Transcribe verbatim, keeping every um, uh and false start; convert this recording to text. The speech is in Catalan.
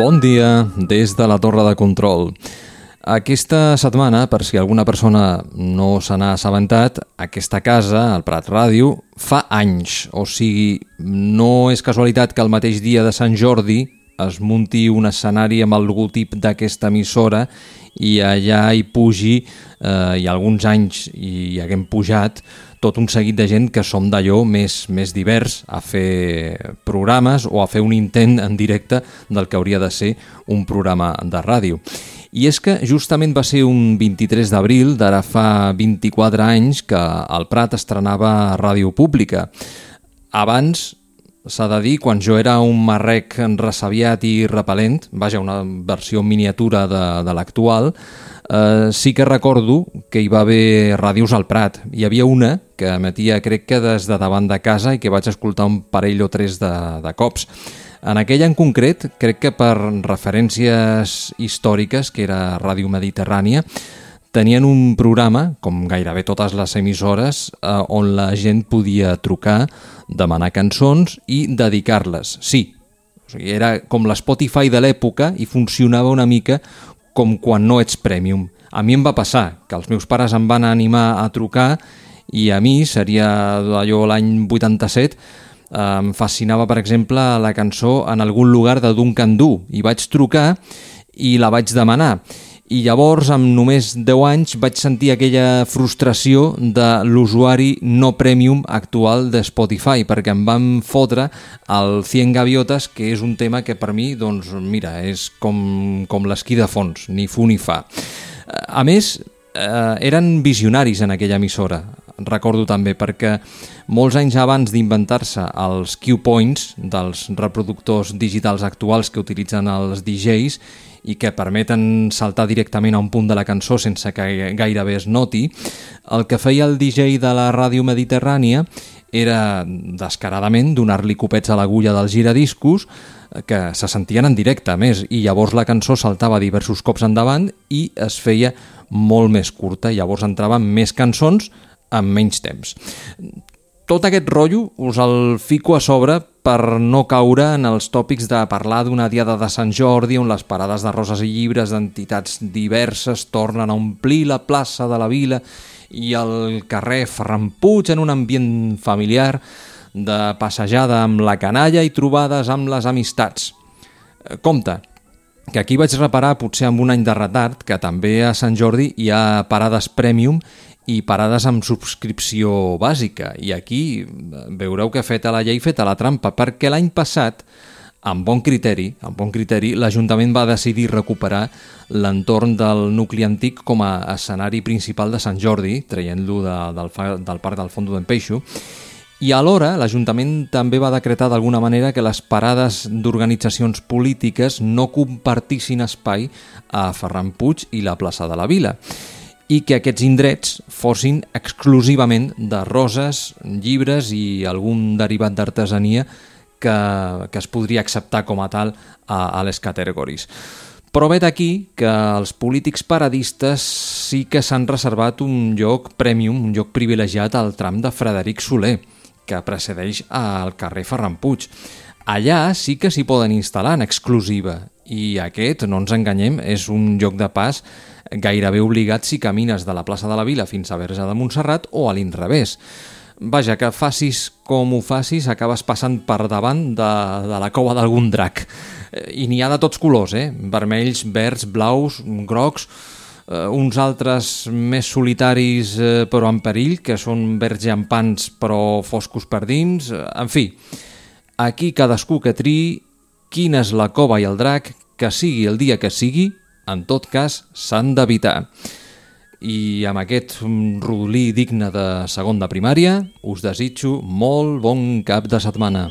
Bon dia des de la Torre de Control. Aquesta setmana, per si alguna persona no se n'ha assabentat, aquesta casa, el Prat Ràdio, fa anys. O sigui, no és casualitat que el mateix dia de Sant Jordi es munti un escenari amb el logotip d'aquesta emissora i allà hi pugi, eh, i alguns anys hi haguem pujat, tot un seguit de gent que som d'allò més, més divers a fer programes o a fer un intent en directe del que hauria de ser un programa de ràdio. I és que justament va ser un vint-i-tres d'abril d'ara fa vint-i-quatre anys que el Prat estrenava Ràdio Pública. Abans, s'ha de dir, quan jo era un marrec ressabiat i repel·lent, vaja, una versió miniatura de, de l'actual, eh, sí que recordo que hi va haver ràdios al Prat. Hi havia una que emetia, crec que des de davant de casa, i que vaig escoltar un parell o tres de, de cops. En aquella en concret, crec que per referències històriques, que era Ràdio Mediterrània, tenien un programa, com gairebé totes les emissores, eh, on la gent podia trucar, demanar cançons i dedicar-les. Sí, o sigui, era com l'Spotify de l'època i funcionava una mica com quan no ets Premium. A mi em va passar que els meus pares em van animar a trucar i a mi, seria allò l'any vuitanta-set, em fascinava, per exemple, la cançó En algun lugar de Duncan Du, i vaig trucar i la vaig demanar. I llavors, amb només deu anys, vaig sentir aquella frustració de l'usuari no premium actual de Spotify, perquè em van fotre el cien gaviotes, que és un tema que per mi, doncs, mira, és com, com l'esquí de fons, ni fu ni fa. A més, eh, eren visionaris en aquella emissora, recordo també, perquè molts anys abans d'inventar-se els Q-Points dels reproductors digitals actuals que utilitzen els D Js i que permeten saltar directament a un punt de la cançó sense que gairebé es noti, el que feia el D J de la Ràdio Mediterrània era descaradament donar-li copets a l'agulla dels giradiscos que se sentien en directe, a més, i llavors la cançó saltava diversos cops endavant i es feia molt més curta, i llavors entraven més cançons en menys temps. Tot aquest rotllo us el fico a sobre per no caure en els tòpics de parlar d'una diada de Sant Jordi on les parades de roses i llibres d'entitats diverses tornen a omplir la plaça de la Vila i el carrer Ferran Puig en un ambient familiar de passejada amb la canalla i trobades amb les amistats. Compte, que aquí vaig reparar, potser amb un any de retard, que també a Sant Jordi hi ha parades Premium i parades amb subscripció bàsica. I aquí veureu que feta la llei, feta la trampa, perquè l'any passat, amb bon criteri, amb bon criteri, l'Ajuntament va decidir recuperar l'entorn del nucli antic com a escenari principal de Sant Jordi, traient-lo de, del, del Parc del Fondo d'en Peixo, i alhora l'Ajuntament també va decretar d'alguna manera que les parades d'organitzacions polítiques no compartissin espai a Ferran Puig i la plaça de la Vila, i que aquests indrets fossin exclusivament de roses, llibres i algun derivat d'artesania que, que es podria acceptar com a tal a, a les categories. Però vet aquí que els polítics paradistes sí que s'han reservat un lloc premium, un lloc privilegiat al tram de Frederic Soler, que precedeix al carrer Ferran Puig. Allà sí que s'hi poden instal·lar en exclusiva, i aquest, no ens enganyem, és un lloc de pas gairebé obligat si camines de la plaça de la Vila fins a Verge de Montserrat o a l'inrevés. Vaja, que facis com ho facis, acabes passant per davant de, de la cova d'algun drac. I n'hi ha de tots colors, eh? Vermells, verds, blaus, grocs, eh, uns altres més solitaris eh, però en perill, que són verds llampants però foscos per dins. En fi, aquí cadascú que triï quina és la cova i el drac, que sigui el dia que sigui, en tot cas s'han d'evitar. I amb aquest rodolí digne de segon de primària us desitjo molt bon cap de setmana.